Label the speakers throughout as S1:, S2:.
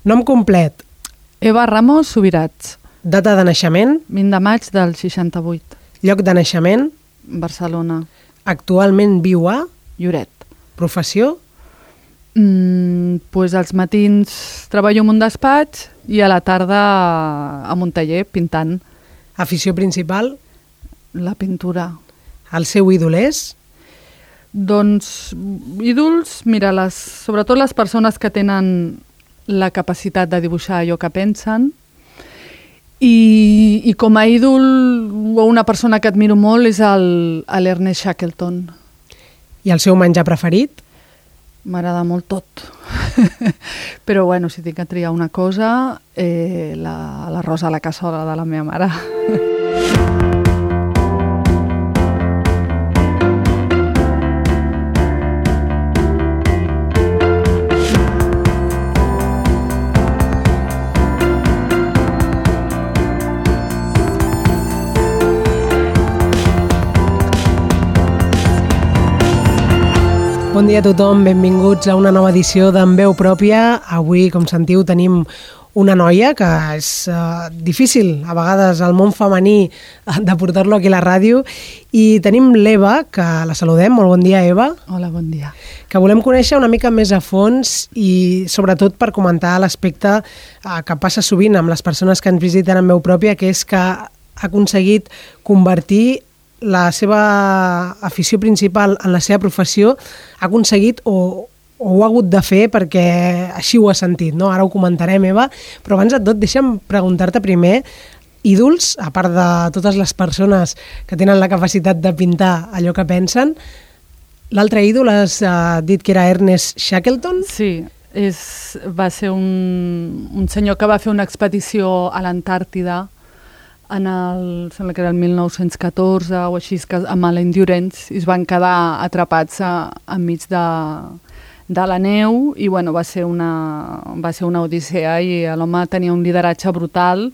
S1: Nom complet.
S2: Eva Ramos Subirats.
S1: Data de naixement.
S2: 20 de maig del 68.
S1: Lloc de naixement.
S2: Barcelona.
S1: Actualment viu a...
S2: Lloret.
S1: Professió.
S2: Pues als matins treballo en un despatx i a la tarda en un taller pintant.
S1: Afició principal.
S2: La pintura.
S1: El seu ídol és?
S2: Doncs ídols, mira, sobretot les persones que tenen la capacitat de dibuixar allò que pensen i com a ídol o una persona que admiro molt és l'Ernest Shackleton.
S1: I el seu menjar preferit?
S2: M'agrada molt tot. Però bueno, si tinc que triar una cosa, l'arròs a la cassola de la meva mare.
S1: Bon dia a tothom, benvinguts a una nova edició d'En Veu Pròpia. Avui, com sentiu, tenim una noia que és difícil, a vegades, al món femení de portar-lo aquí a la ràdio. I tenim l'Eva, que la saludem. Molt bon dia, Eva.
S2: Hola, bon dia.
S1: Que volem conèixer una mica més a fons i, sobretot, per comentar l'aspecte que passa sovint amb les persones que ens visiten en Veu Pròpia, que és que ha aconseguit convertir la seva afició principal en la seva professió, ha aconseguit o ho ha hagut de fer perquè així ho ha sentit, no? Ara ho comentarem, Eva, però abans de tot deixa'm preguntar-te primer, ídols, a part de totes les persones que tenen la capacitat de pintar allò que pensen, l'altre ídol has dit que era Ernest Shackleton?
S2: Sí, va ser un senyor que va fer una expedició a l'Antàrtida sembla que era el 1914 o així, amb l'Endurance, i es van quedar atrapats enmig de la neu i bueno, va ser una odissea i l'home tenia un lideratge brutal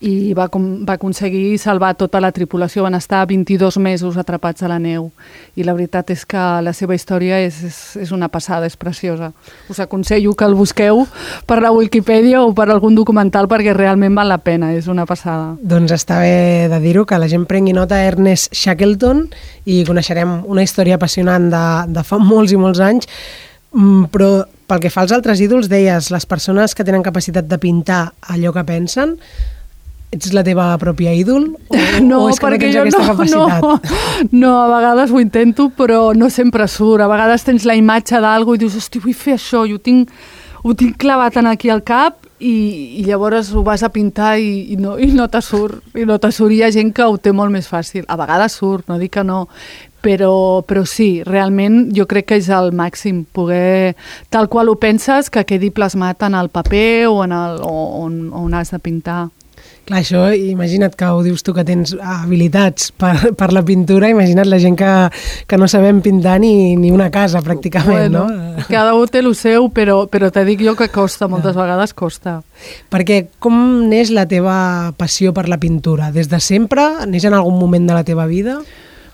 S2: i va aconseguir salvar tota la tripulació. Van estar 22 mesos atrapats a la neu i la veritat és que la seva història és una passada, és preciosa. Us aconsello que el busqueu per la Wikipedia o per algun documental perquè realment val la pena, és una passada.
S1: Doncs està bé de dir-ho, que la gent prengui nota Ernest Shackleton i coneixerem una història apassionant de fa molts i molts anys. Però pel que fa als altres ídols, deies, les persones que tenen capacitat de pintar allò que pensen, ets la teva pròpia ídol?
S2: No,
S1: o és que
S2: perquè
S1: no tens aquesta capacitat?
S2: No, a vegades ho intento, però no sempre surt. A vegades tens la imatge d'algú i dius, hosti, vull fer això, i ho tinc clavat aquí al cap, i llavors ho vas a pintar i no te surt. I no te surt. Hi ha gent que ho té molt més fàcil. A vegades surt, no dic que no, però sí, realment jo crec que és el màxim, poder, tal qual ho penses, que quedi plasmat en el paper o on has de pintar.
S1: Clar, això, imagina't que ho dius tu, que tens habilitats per la pintura, imagina't la gent que no sabem pintar ni una casa, pràcticament,
S2: bueno,
S1: no?
S2: Cada un té el seu, però te dic jo que costa, moltes vegades costa.
S1: Perquè com neix la teva passió per la pintura? Des de sempre? Neix en algun moment de la teva vida?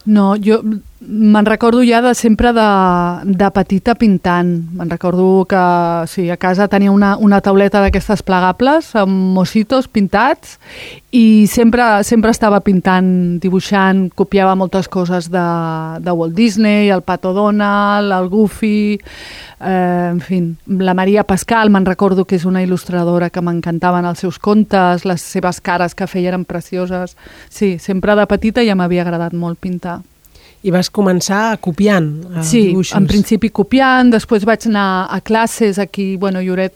S2: No, jo me'n recordo ja de sempre de petita pintant. Me'n recordo que sí, a casa tenia una tauleta d'aquestes plegables amb mossitos pintats i sempre estava pintant, dibuixant, copiava moltes coses de Walt Disney, el Pato Donald, el Goofy, en fi, la Maria Pascal, me'n recordo que és una il·lustradora que m'encantaven els seus contes, les seves cares que feia eren precioses. Sí, sempre de petita ja m'havia agradat molt pintar.
S1: I vas començar copiant dibuixos? Sí,
S2: en principi copiant, després vaig anar a classes aquí, a Lloret,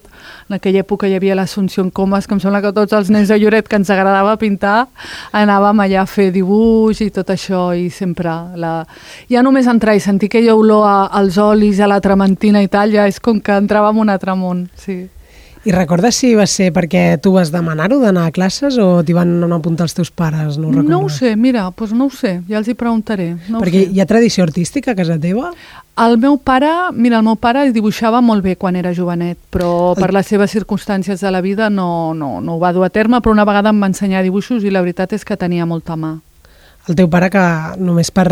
S2: en aquella època hi havia l'Assumpció Comas, que em sembla que tots els nens de Lloret que ens agradava pintar, anàvem allà a fer dibuix i tot això, i sempre ja només entrar i sentir aquella olor als olis, a la trementina i tal, ja és com que entrava en un altre món, sí.
S1: I recordes si va ser perquè tu vas demanar-ho d'anar a classes o t'hi van apuntar els teus pares? No ho recordes?
S2: No ho sé, mira, doncs no ho sé, ja els hi preguntaré.
S1: Perquè hi ha tradició artística a casa teva?
S2: El meu pare dibuixava molt bé quan era jovenet, però per les seves circumstàncies de la vida no ho va dur a terme, però una vegada em va ensenyar dibuixos i la veritat és que tenia molta mà.
S1: El teu pare, que només per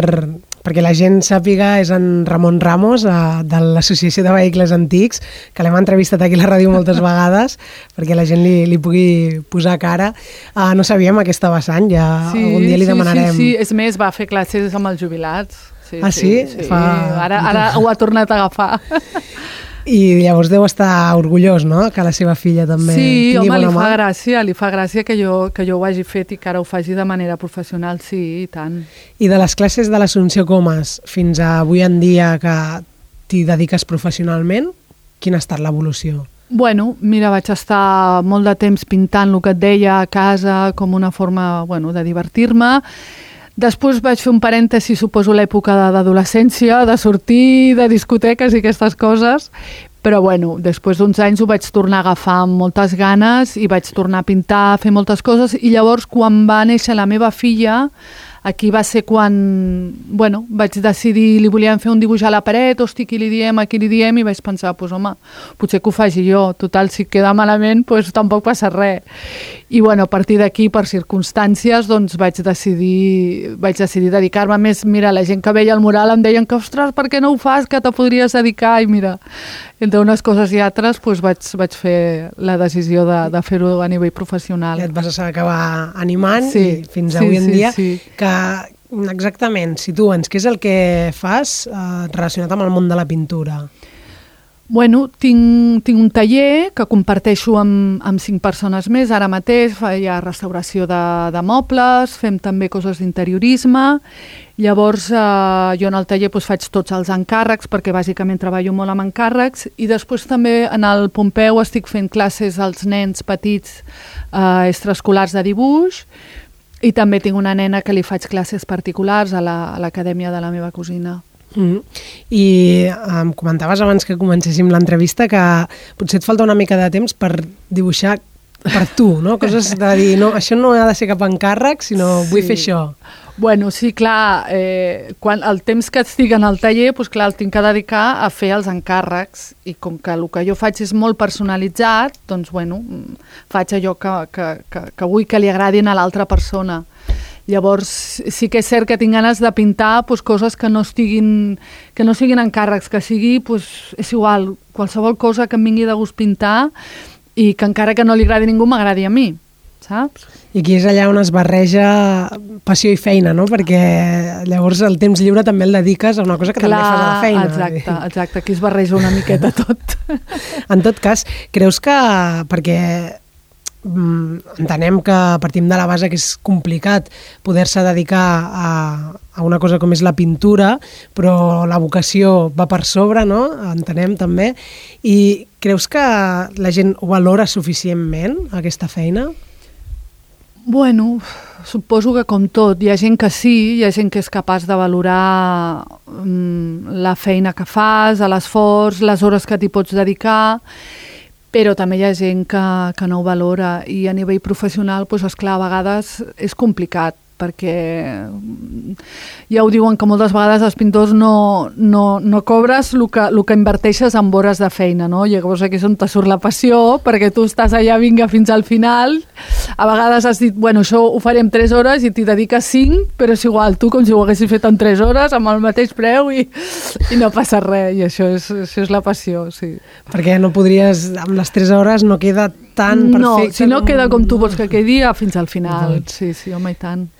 S1: perquè la gent sàpiga, és en Ramon Ramos, de l'Associació de Vehicles Antics, que l'hem entrevistat aquí a la ràdio moltes vegades, perquè la gent li pugui posar cara. No sabíem aquesta vessant, ja algun dia li demanarem.
S2: Sí, és més, va fer classes amb els jubilats.
S1: Sí?
S2: Ara ho ha tornat a agafar.
S1: I llavors deu estar orgullós, no?, que la seva filla també tingui bona mà.
S2: Sí, home, li fa gràcia que jo ho hagi fet i que ara ho faci de manera professional, sí, i tant.
S1: I de les classes de l'Assumpció Comas fins a avui en dia que t'hi dediques professionalment, quina ha estat l'evolució?
S2: Bueno, mira, vaig estar molt de temps pintant el que et deia a casa com una forma, de divertir-me. Després vaig fer un parèntesi, suposo, l'època d'adolescència, de sortir, de discoteques i aquestes coses, però després d'uns anys ho vaig tornar a agafar amb moltes ganes i vaig tornar a pintar, a fer moltes coses, i llavors quan va néixer la meva filla, aquí va ser quan, vaig decidir, li volíem fer un dibuix a la paret, hosti, qui li diem, i vaig pensar, home, potser que ho faci jo, total, si queda malament, tampoc passa res. I a partir d'aquí, per circumstàncies, vaig decidir dedicar-me més. Mira, la gent que veia el mural em deien que, ostres, per què no ho fas, que te podries dedicar? I mira, entre unes coses i altres, vaig fer la decisió de fer-ho a nivell professional.
S1: I et vas acabar animant i fins avui en dia. Que exactament, situa'ns, què és el que fas relacionat amb el món de la pintura?
S2: Tinc un taller que comparteixo amb 5 persones més. Ara mateix hi ha restauració de mobles, fem també coses d'interiorisme. Llavors, jo en el taller faig tots els encàrrecs, perquè bàsicament treballo molt amb encàrrecs, i després també en el Pompeu estic fent classes als nens petits extraescolars de dibuix, i també tinc una nena que li faig classes particulars a l'acadèmia de la meva cosina.
S1: I em comentaves abans que comencéssim l'entrevista que potser et falta una mica de temps per dibuixar per tu, no? Coses de dir, no, això no ha de ser cap encàrrec, sinó vull fer això.
S2: Sí, clar, quan el temps que estic en el taller, clar, el tinc que dedicar a fer els encàrrecs, i com que el que jo faig és molt personalitzat, faig allò que vull que li agradin a l'altra persona. Llavors, sí que és cert que tinc ganes de pintar coses que no siguin encàrrecs, que sigui, és igual, qualsevol cosa que em vingui de gust pintar i que encara que no li agradi a ningú m'agradi a mi, saps?
S1: I aquí és allà on es barreja passió i feina, no? Perquè llavors el temps lliure també el dediques a una cosa que també fas a la feina.
S2: Exacte, aquí es barreja una miqueta tot.
S1: En tot cas, creus que, perquè entenem que partim de la base que és complicat poder-se dedicar a una cosa com és la pintura, però la vocació va per sobre, no? Entenem també. I creus que la gent ho valora suficientment, aquesta feina?
S2: Suposo que com tot, hi ha gent que sí, hi ha gent que és capaç de valorar la feina que fas, l'esforç, les hores que t'hi pots dedicar, però també hi ha gent que no ho valora, i a nivell professional, esclar, a vegades és complicat, perquè ja ho diuen que moltes vegades els pintors no cobres el que inverteixes en hores de feina, no? Llavors aquí és on te surt la passió, perquè tu estàs allà, vinga, fins al final. A vegades has dit, això ho faré en 3 hores i t'hi dediques 5, però és igual, tu com si ho haguessis fet en 3 hores, amb el mateix preu, i no passa res, i això és la passió, sí.
S1: Perquè no podries, amb les 3 hores no queda tan perfecte.
S2: No, si no queda com tu vols que quedi, fins al final. Sí, home, i tant.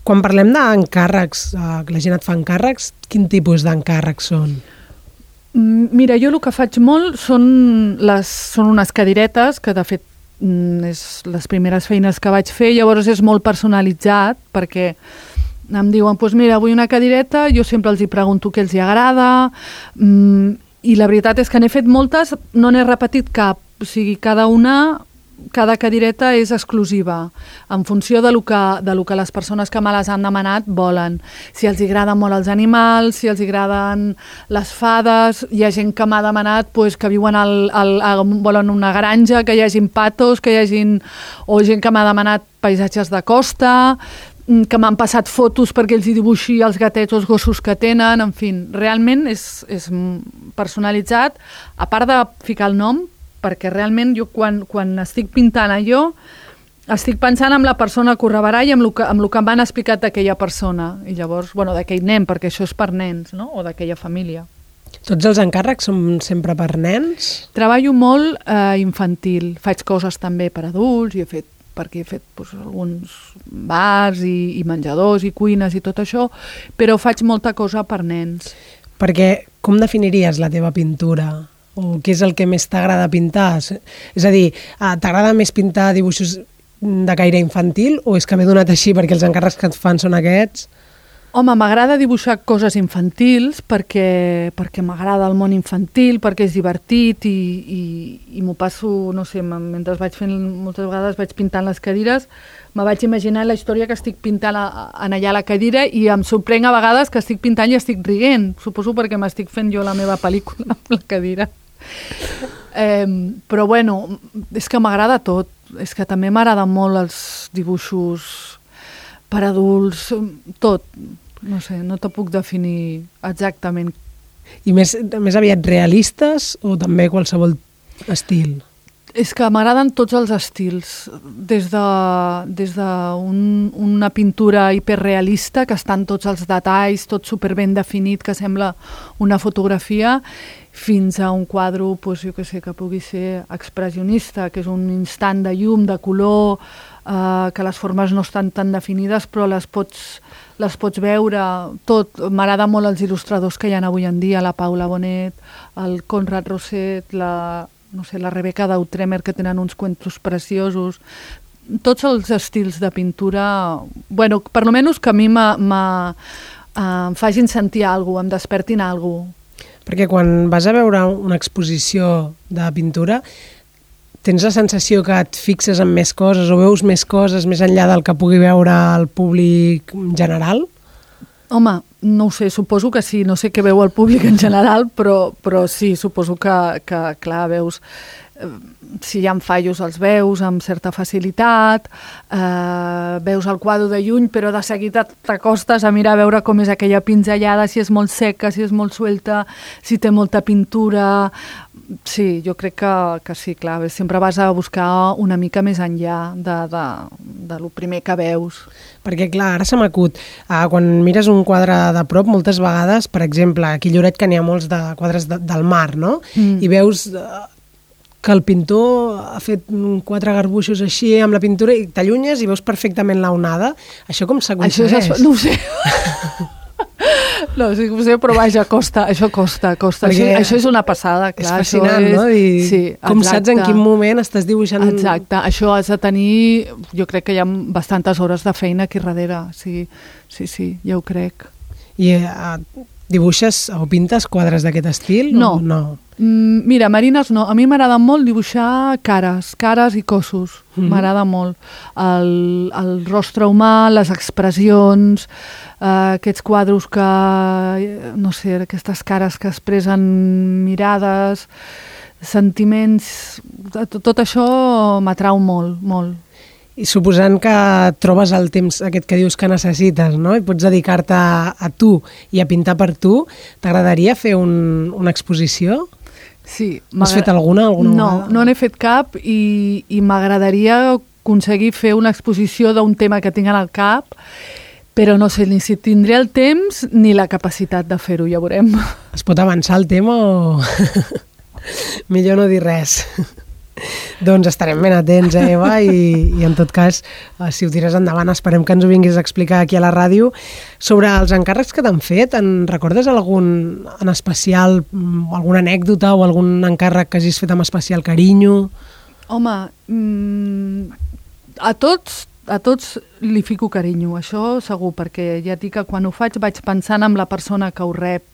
S1: Quan parlem d'encàrrecs, que la gent et fa encàrrecs, quin tipus d'encàrrecs són?
S2: Mira, jo el que faig molt són unes cadiretes, que de fet és les primeres feines que vaig fer, llavors és molt personalitzat, perquè em diuen, mira, vull una cadireta, jo sempre els hi pregunto què els hi agrada, i la veritat és que n'he fet moltes, no n'he repetit cap, o sigui, cada cadireta és exclusiva, en funció de lo que les persones que me les han demanat volen. Si els agraden molt els animals, si els agraden les fades, hi ha gent que m'ha demanat que viuen volen una granja, que hi hagin patos, o gent que m'ha demanat paisatges de costa, que m'han passat fotos perquè els hi dibuixi els gatets o els gossos que tenen, en fi, realment és personalitzat, a part de ficar el nom, perquè realment jo quan estic pintant allò estic pensant en la persona que ho rebrà i amb el que m'han explicat d'aquella persona. I llavors, d'aquell nen, perquè això és per nens, no? O d'aquella família.
S1: Tots els encàrrecs són sempre per nens?
S2: Treballo molt infantil. Faig coses també per adults i he fet alguns bars i menjadors i cuines i tot això, però faig molta cosa per nens.
S1: Perquè com definiries la teva pintura? O què és el que més t'agrada pintar? És a dir, t'agrada més pintar dibuixos de caire infantil o és que m'he donat així perquè els encàrrecs que et fan són aquests?
S2: Home, m'agrada dibuixar coses infantils perquè m'agrada el món infantil, perquè és divertit i m'ho passo, no sé, mentre vaig fent, moltes vegades vaig pintant les cadires, me vaig imaginar la història que estic pintant en allà a la cadira i em sorprenc a vegades que estic pintant i estic rient. Suposo perquè m'estic fent jo la meva pel·lícula amb la cadira. Però bueno, és que m'agrada tot. És que també m'agraden molt els dibuixos per adults, tot. No sé, no te puc definir exactament.
S1: I més aviat realistes o també qualsevol estil?
S2: És que m'agraden tots els estils, des d'una pintura hiperrealista, que estan tots els detalls, tot superben definit, que sembla una fotografia, fins a un quadre, doncs, jo què sé, que pugui ser expressionista, que és un instant de llum, de color, que les formes no estan tan definides, però les pots veure tot. M'agrada molt els il·lustradors que hi ha avui en dia, la Paula Bonet, el Conrad Roset, la Rebecca Dautremer, que tenen uns cuentos preciosos. Tots els estils de pintura, bueno, per lo menos que a mi em facin sentir alguna cosa, em despertin alguna cosa.
S1: Perquè quan vas a veure una exposició de pintura, tens la sensació que et fixes en més coses o veus més coses més enllà del que pugui veure el públic general?
S2: Home, no ho sé, suposo que sí, no sé què veu el públic en general, però sí, suposo que clar, veus, si hi ha fallos els veus amb certa facilitat, veus el quadre de lluny, però de seguida t'acostes a mirar a veure com és aquella pinzellada, si és molt seca, si és molt suelta, si té molta pintura. Sí, jo crec que sí, clar, sempre vas a buscar una mica més enllà de lo primer que veus.
S1: Perquè, clar, ara se m'acut, quan mires un quadre de prop, moltes vegades, per exemple, aquí a Lloret que n'hi ha molts de quadres del mar, no? I veus que el pintor ha fet 4 garbuixos així amb la pintura i t'allunyes i veus perfectament la onada. Això com s'aconsegueix?
S2: No ho sé. No, sí que ho sé, però vaja, això costa. Això és una passada, clar.
S1: És fascinant, no? Sí, com saps en quin moment estàs dibuixant...
S2: Exacte, això has de tenir... Jo crec que hi ha bastantes hores de feina aquí darrere. Sí, ja ho crec.
S1: I dibuixes o pintes quadres d'aquest estil?
S2: No. Mira, marines no. A mi m'agrada molt dibuixar cares i cossos. M'agrada molt. El rostre humà, les expressions, aquests quadres que, no sé, aquestes cares que expressen mirades, sentiments, tot això m'atrau molt, molt.
S1: I suposant que trobes el temps aquest que dius que necessites, no? I pots dedicar-te a tu i a pintar per tu, t'agradaria fer una exposició?
S2: Sí.
S1: Has fet alguna vegada?
S2: No n'he fet cap i m'agradaria aconseguir fer una exposició d'un tema que tinc al cap, però no sé ni si tindré el temps ni la capacitat de fer-ho, ja veurem.
S1: Es pot avançar el tema o...? Millor no dir res. Doncs estarem ben atents, Eva, i en tot cas, si ho tires endavant, esperem que ens ho vinguis a explicar aquí a la ràdio. Sobre els encàrrecs que t'han fet, en recordes algun en especial, alguna anècdota o algun encàrrec que hagis fet amb especial carinyo?
S2: Home, a tots li fico carinyo, això segur, perquè ja dic que quan ho faig vaig pensant en la persona que ho rep,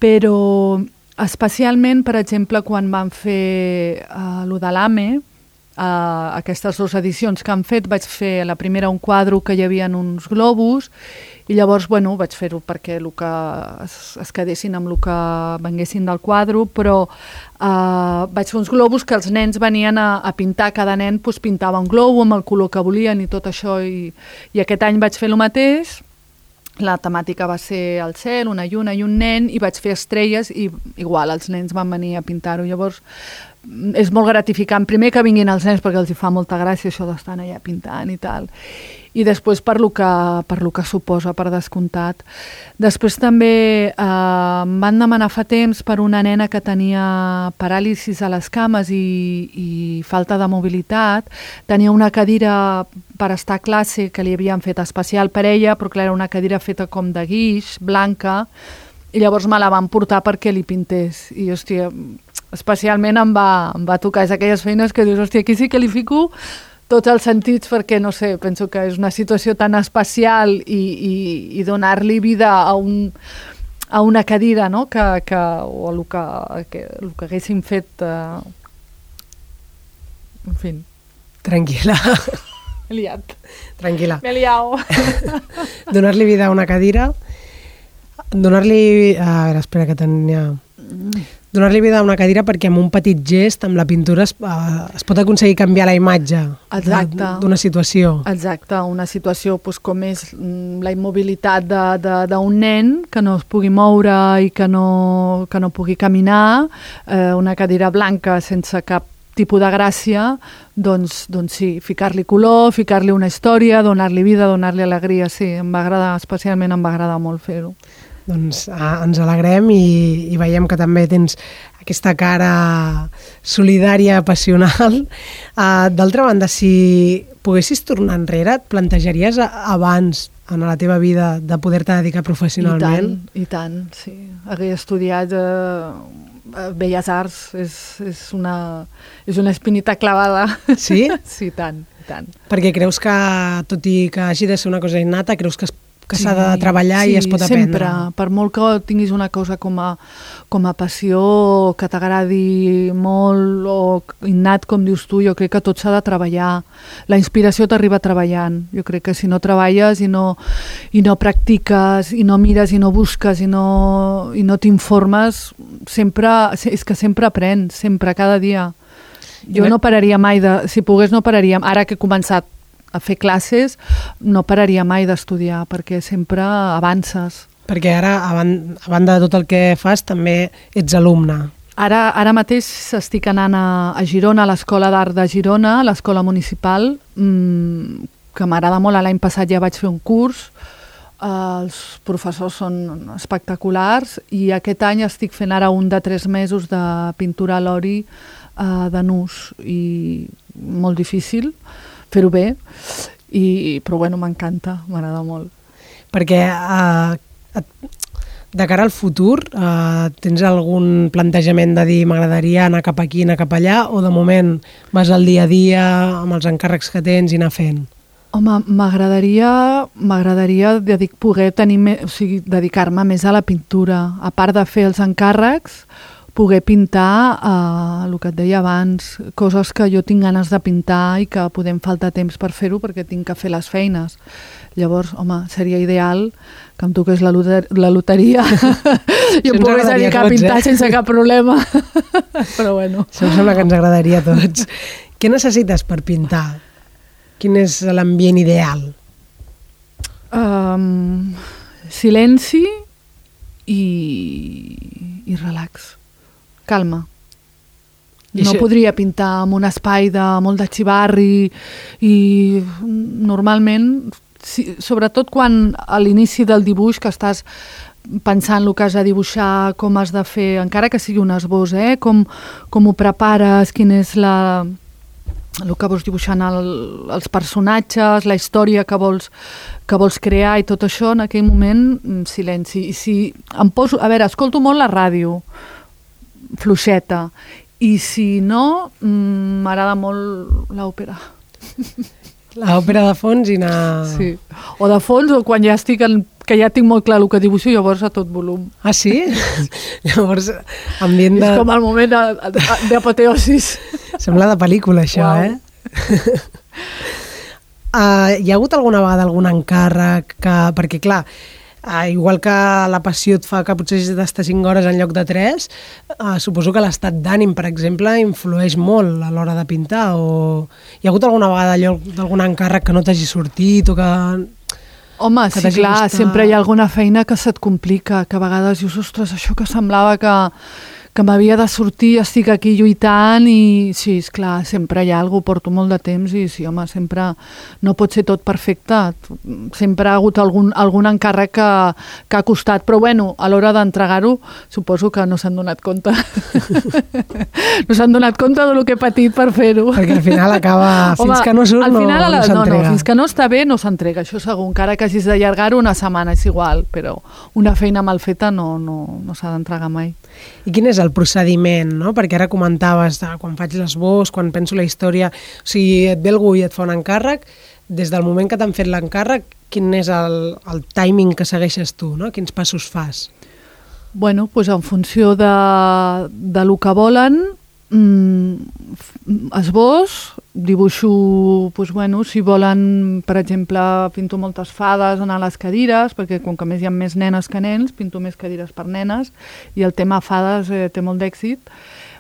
S2: però especialment, per exemple, quan van fer lo de l'AME, aquestes 2 edicions que han fet, vaig fer la primera un quadre que hi havia uns globus i llavors, bueno, vaig fer-ho perquè es quedessin amb el que venguessin del quadre, però vaig fer uns globus que els nens venien a pintar, cada nen pintava un globo amb el color que volien i tot això, i aquest any vaig fer el mateix. La temàtica va ser el cel, una lluna i un nen, i vaig fer estrelles i igual els nens van venir a pintar-ho. Llavors és molt gratificant. Primer que vinguin els nens perquè els hi fa molta gràcia això d'estar allà pintant i tal. I després per lo que suposa, per descomptat. Després també em van demanar fa temps per una nena que tenia paràlisis a les cames i falta de mobilitat. Tenia una cadira per estar a classe que li havien fet especial per ella, però clar, era una cadira feta com de guix, blanca, i llavors me la van portar perquè li pintés. I, hòstia, especialment em va tocar. És aquelles feines que dius, hòstia, aquí sí que li fico tots els sentits perquè, no sé, penso que és una situació tan especial i donar-li vida a una cadira, no?, o el que haguessin fet... En fi.
S1: Tranquil·la.
S2: M'he liat.
S1: Tranquil·la.
S2: M'he liat.
S1: Donar-li vida a una cadira, donar-li... A veure, espera, que tenia... Donar-li vida a una cadira perquè amb un petit gest, amb la pintura, es pot aconseguir canviar la imatge d'una situació.
S2: Exacte, una situació doncs, com és la immobilitat d'un nen que no es pugui moure i que no pugui caminar, una cadira blanca sense cap tipus de gràcia, doncs sí, ficar-li color, ficar-li una història, donar-li vida, donar-li alegria, sí, especialment em va agradar molt fer-ho.
S1: Doncs ens alegrem i veiem que també tens aquesta cara solidària, passional. D'altra banda, si poguessis tornar enrere, et plantejaries abans en la teva vida de poder-te dedicar professionalment?
S2: I tant, sí. Hagué estudiat Belles Arts, és una espinita clavada.
S1: Sí?
S2: Sí, tant.
S1: Perquè creus que, tot i que hagi de ser una cosa innata, creus que s'ha de treballar i es pot aprendre.
S2: Sempre. Per molt que tinguis una cosa com a passió, que t'agradi molt o innat, com dius tu, jo crec que tot s'ha de treballar. La inspiració t'arriba treballant. Jo crec que si no treballes i no practiques, i no mires, i no busques, i no t'informes, és que sempre aprens, sempre, cada dia. Jo no pararia mai, si pogués no pararia, ara que he començat a fer classes, no pararia mai d'estudiar, perquè sempre avances.
S1: Perquè ara, a banda de tot el que fas, també ets alumne.
S2: Ara mateix estic anant a Girona, a l'Escola d'Art de Girona, a l'Escola Municipal, que m'agrada molt. L'any passat ja vaig fer un curs, els professors són espectaculars, i aquest any estic fent ara un de 3 mesos de pintura a l'oli de nus, i molt difícil fer-ho bé, però bueno, m'encanta, m'agrada molt.
S1: Perquè de cara al futur tens algun plantejament de dir m'agradaria anar cap aquí, anar cap allà, o de moment vas al dia a dia amb els encàrrecs que tens i anar fent?
S2: Home, m'agradaria poder dedicar-me més a la pintura, a part de fer els encàrrecs, poder pintar, el que et deia abans, coses que jo tinc ganes de pintar i que podem faltar temps per fer-ho perquè tinc que fer les feines. Llavors, home, seria ideal que em toqués la loteria i em pogués dedicar a pintar sense cap problema. Però bueno.
S1: Això em sembla que ens agradaria a tots. Què necessites per pintar? Quin és l'ambient ideal?
S2: Silenci i relax. Calma. No podria pintar en un espai de molt de xivarri i normalment, sobretot quan a l'inici del dibuix que estàs pensant el que has de dibuixar, com has de fer, encara que sigui un esbós, com ho prepares, quin és el que vols dibuixar els personatges, la història que vols crear i tot això, en aquell moment, silenci. I si em poso... A veure, escolto molt la ràdio, fluixeta, i si no, m'agrada molt l'òpera.
S1: L'òpera de fons i anar...
S2: Sí, o de fons, o quan ja estic que ja tinc molt clar el que dibuixo, llavors a tot volum.
S1: Ah, sí? Llavors, ambient de...
S2: És com el moment d'apoteosis.
S1: Sembla de pel·lícula, això, wow. Hi ha hagut alguna vegada algun encàrrec que... Perquè, clar, igual que la passió et fa que potser has d'estar 5 hores en lloc de 3, suposo que l'estat d'ànim, per exemple, influeix molt a l'hora de pintar, o hi ha hagut alguna vegada d'algun encàrrec que no t'hagi sortit o que...
S2: Home, sí, clar, sempre hi ha alguna feina que se't complica, que a vegades dius, ostres, això que semblava que que m'havia de sortir, estic aquí lluitant i sí, esclar, sempre hi ha alguna cosa, porto molt de temps i sí, home, sempre no pot ser tot perfecte, sempre ha hagut algun encàrrec que ha costat, però bueno, a l'hora d'entregar-ho suposo que no s'han donat compte no s'han donat compte del que he patit per fer-ho.
S1: Perquè al final acaba, fins que no surt no s'entrega.
S2: No, fins que no està bé no s'entrega, això segur, encara que hagis d'allargar-ho una setmana és igual, però una feina mal feta no s'ha d'entregar mai.
S1: I quin és el procediment, no? Perquè ara comentaves, quan faig l'esbós, quan penso la història, o sigui, et ve algú i et fa un encàrrec, des del moment que t'han fet l'encàrrec, quin és el timing que segueixes tu, no? Quins passos fas?
S2: Bueno, doncs en funció de lo que volen, esbós, dibuixo, doncs bueno, si volen, per exemple, pinto moltes fades a les cadires, perquè com que més hi ha més nenes que nens, pinto més cadires per nenes, i el tema fades té molt d'èxit.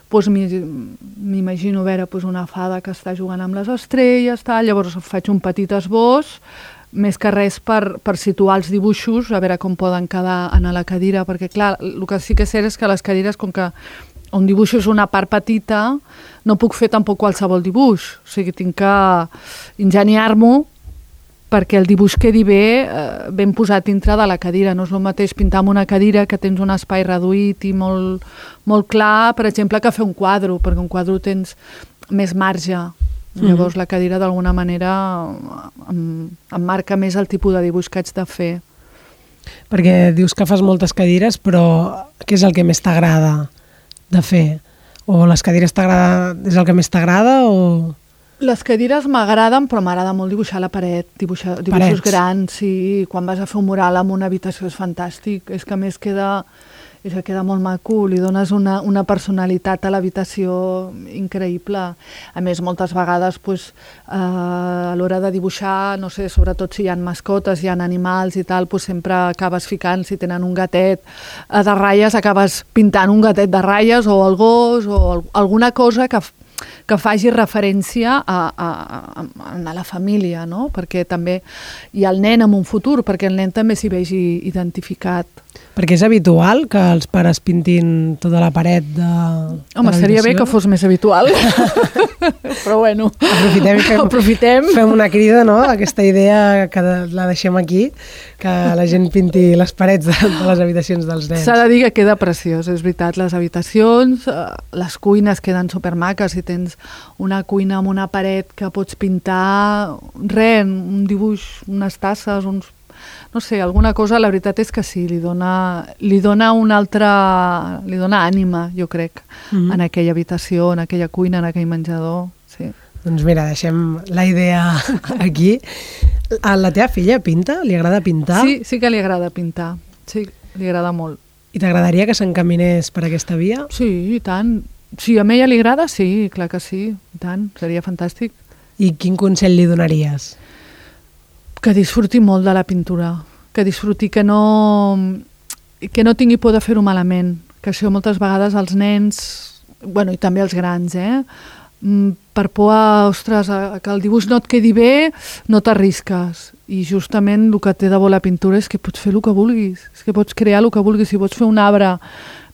S2: Doncs m'imagino veure una fada que està jugant amb les estrelles, llavors faig un petit esbós, més que res per situar els dibuixos, a veure com poden quedar a la cadira, perquè clar, el que sí que és cert és que les cadires, com que un dibuix és una part petita, no puc fer tampoc qualsevol dibuix. O sigui, tinc que ingeniar-m'ho perquè el dibuix quedi bé ben posat dintre de la cadira. No és el mateix pintar amb una cadira que tens un espai reduït i molt, molt clar, per exemple, que fer un quadre, perquè un quadre tens més marge. Llavors la cadira d'alguna manera em marca més el tipus de dibuix que haig de fer.
S1: Perquè dius que fas moltes cadires, però què és el que més t'agrada de fer? O les cadires és el que més t'agrada o...?
S2: Les cadires m'agraden, però m'agrada molt dibuixar a la paret, dibuixos grans, i quan vas a fer un mural en una habitació és fantàstic, és que a més queda molt maco, li dones una personalitat a l'habitació increïble. A més, moltes vegades a l'hora de dibuixar, no sé, sobretot si hi ha mascotes, hi ha animals i tal, sempre acabes ficant, si tenen un gatet de ratlles, acabes pintant un gatet de ratlles o el gos o alguna cosa que faci referència a la família, no? Perquè també hi ha el nen en un futur, perquè el nen també s'hi vegi identificat.
S1: Perquè és habitual que els pares pintin tota la paret de
S2: Home, seria bé que fos més habitual. Però bueno, aprofitem.
S1: Fem una crida, no? Aquesta idea que la deixem aquí, que la gent pinti les parets de les habitacions dels nens.
S2: S'ha de dir que queda preciós, és veritat. Les habitacions, les cuines queden supermaques. Si tens una cuina amb una paret que pots pintar, un dibuix, unes tasses, no sé, alguna cosa, la veritat és que sí, li dona ànima, jo crec, en aquella habitació, en aquella cuina, en aquell menjador, sí.
S1: Doncs mira, deixem la idea aquí. A la teva filla pinta? Li agrada pintar?
S2: Sí que li agrada pintar, sí, li agrada molt.
S1: I t'agradaria que s'encaminés per aquesta via?
S2: Sí, i tant. Si a ella li agrada, sí, clar que sí, i tant, seria fantàstic.
S1: I quin consell li donaries?
S2: Que disfruti molt de la pintura, que disfruti, que no tingui por de fer-ho malament, que això moltes vegades els nens, bueno, i també els grans, per por ostres, que el dibuix no et quedi bé, no t'arrisques. I justament el que té de bo la pintura és que pots fer el que vulguis, és que pots crear el que vulguis. Si pots fer un arbre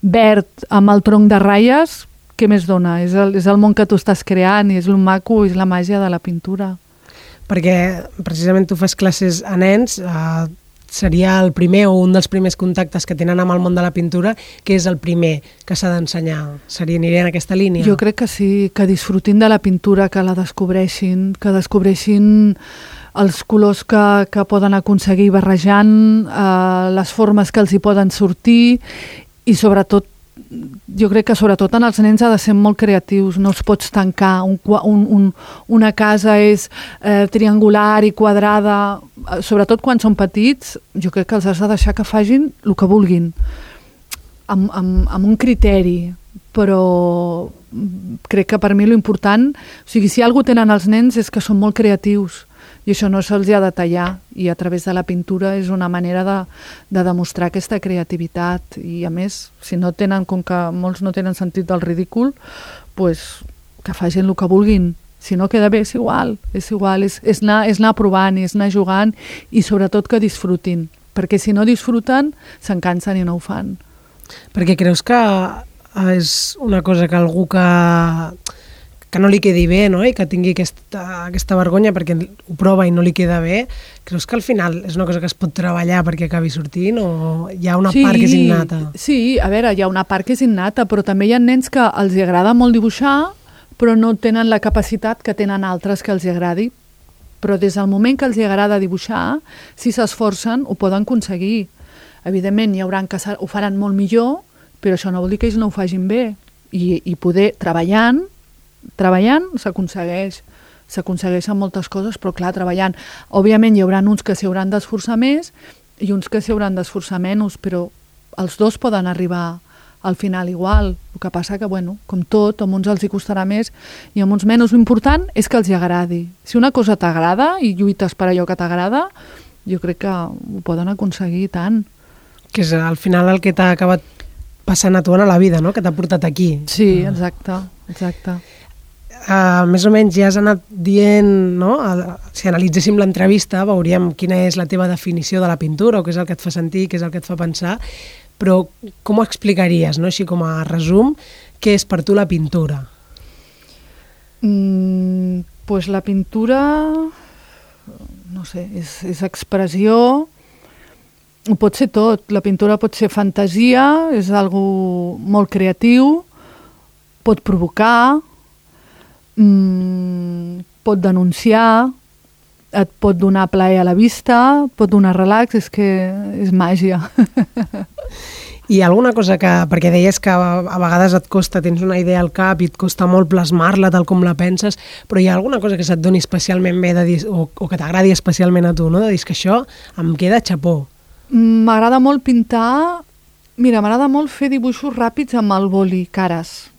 S2: verd amb el tronc de ratlles, què més dona? És el món que tu estàs creant i és el maco, és la màgia de la pintura.
S1: Perquè precisament tu fas classes a nens, seria el primer o un dels primers contactes que tenen amb el món de la pintura, que és el primer que s'ha d'ensenyar. Aniria en aquesta línia?
S2: Jo crec que sí, que disfrutin de la pintura, que la descobreixin, els colors que poden aconseguir barrejant, les formes que els hi poden sortir i sobretot jo crec que sobretot en els nens ha de ser molt creatius, no els pots tancar. Una casa és triangular i quadrada, sobretot quan són petits, jo crec que els has de deixar que facin el que vulguin, amb un criteri, però crec que per mi l'important, o sigui, si alguna cosa tenen els nens és que són molt creatius, i això no se'ls ha de tallar, i a través de la pintura és una manera de demostrar aquesta creativitat, i a més, si no tenen, com que molts no tenen sentit del ridícul, pues, que facin el que vulguin. Si no queda bé, és igual, és anar provant, és anar jugant, i sobretot que disfrutin, perquè si no disfruten, se'n cansen i no ho fan.
S1: Perquè creus que és una cosa que algú que no li quedi bé, no? I que tingui aquesta vergonya perquè ho prova i no li queda bé, creus que al final és una cosa que es pot treballar perquè acabi sortint o hi ha una part que és innata?
S2: Sí, a veure, hi ha una part que és innata, però també hi ha nens que els agrada molt dibuixar, però no tenen la capacitat que tenen altres que els agradi. Però des del moment que els agrada dibuixar, si s'esforcen, ho poden aconseguir. Evidentment, hi haurà que ho faran molt millor, però això no vol dir que ells no ho facin bé. I poder, treballant s'aconsegueixen moltes coses, però clar, treballant. Òbviament hi haurà uns que s'hi hauran d'esforçar més i uns que s'hi hauran d'esforçar menys, però els dos poden arribar al final igual. El que passa que, bueno, com tot, a uns els hi costarà més i a uns menys. L'important és que els hi agradi. Si una cosa t'agrada i lluites per allò que t'agrada, jo crec que ho poden aconseguir tant.
S1: Que és al final el que t'ha acabat passant a tu a la vida, no? Que t'ha portat aquí.
S2: Sí, exacte.
S1: Més o menys ja has anat dient, no? Si analitzéssim l'entrevista veuríem quina és la teva definició de la pintura o què és el que et fa sentir, què és el que et fa pensar, però com ho explicaries, no? Així com a resum, què és per tu la pintura?
S2: Pues la pintura, no sé, és expressió, pot ser tot. La pintura pot ser fantasia, és algo molt creatiu, pot provocar, pot denunciar, et pot donar plaer a la vista, pot donar relax, és que és màgia.
S1: Hi ha alguna cosa que, perquè deies que a vegades et costa, tens una idea al cap i et costa molt plasmar-la tal com la penses, però hi ha alguna cosa que se't doni especialment bé de dir, o que t'agradi especialment a tu, no? De dir que això em queda xapó.
S2: M'agrada molt pintar, m'agrada molt fer dibuixos ràpids amb el boli, cares.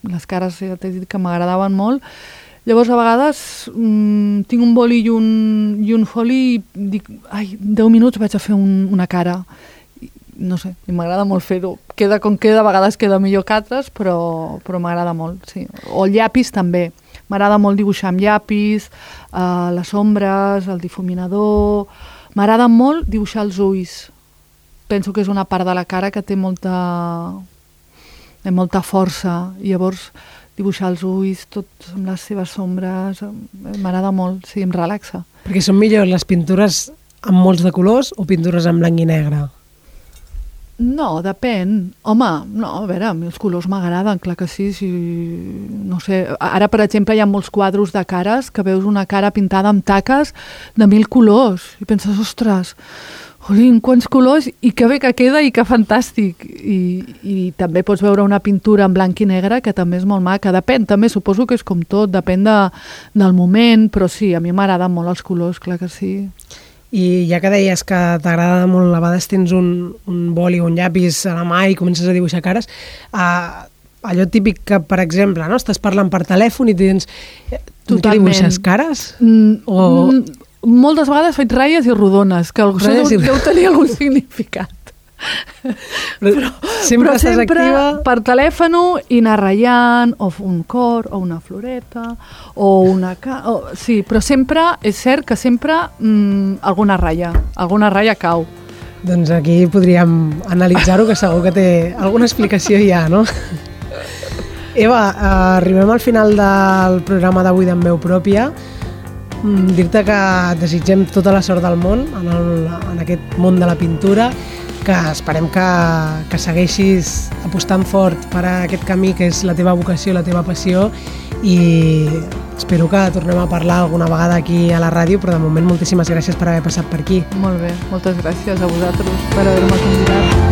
S2: Les cares ja t'he dit que m'agradaven molt. Llavors, a vegades, tinc un boli i un foli i dic, 10 minuts vaig a fer una cara. No sé, i m'agrada molt fer-ho. Queda com queda, a vegades queda millor que altres, però m'agrada molt, sí. O el llapis també. M'agrada molt dibuixar amb llapis, les ombres, el difuminador. M'agrada molt dibuixar els ulls. Penso que és una part de la cara que té molta força. I llavors dibuixar els ulls, tots amb les seves ombres, m'agrada molt, sí, em relaxa.
S1: Perquè són millors les pintures amb molts de colors o pintures en blanc i negre?
S2: No, depèn. Home, no, a veure, a mi els colors m'agraden, clar que sí. No sé, ara, per exemple, hi ha molts quadros de cares que veus una cara pintada amb taques de 1000 colors i penses, ostres, jolín, quants colors, i que bé que queda i que fantàstic. I també pots veure una pintura en blanc i negre que també és molt maca. Depèn, també suposo que és com tot, depèn del moment, però sí, a mi m'agraden molt els colors, clar que sí.
S1: I ja que deies que t'agrada molt, a vegades tens un boli o un llapis a la mà i comences a dibuixar cares, allò típic que, per exemple, no? Estàs parlant per telèfon i tens... Tu què dibuixes, cares?
S2: Moltes vegades faig ratlles i rodones, que deu tenir algun significat. Però sempre
S1: activa...
S2: per telèfon i anar ratllant, o un cor, o una floreta, o una... Sí, però sempre, és cert que sempre alguna ratlla cau.
S1: Doncs aquí podríem analitzar-ho, que segur que té alguna explicació ja, no? Eva, arribem al final del programa d'avui d'En Veu Pròpia. Dir-te que desitgem tota la sort del món en aquest món de la pintura, que esperem que segueixis apostant fort per a aquest camí que és la teva vocació, la teva passió, i espero que tornem a parlar alguna vegada aquí a la ràdio, però de moment moltíssimes gràcies per haver passat per aquí.
S2: Molt bé, moltes gràcies a vosaltres per haver-me convidat.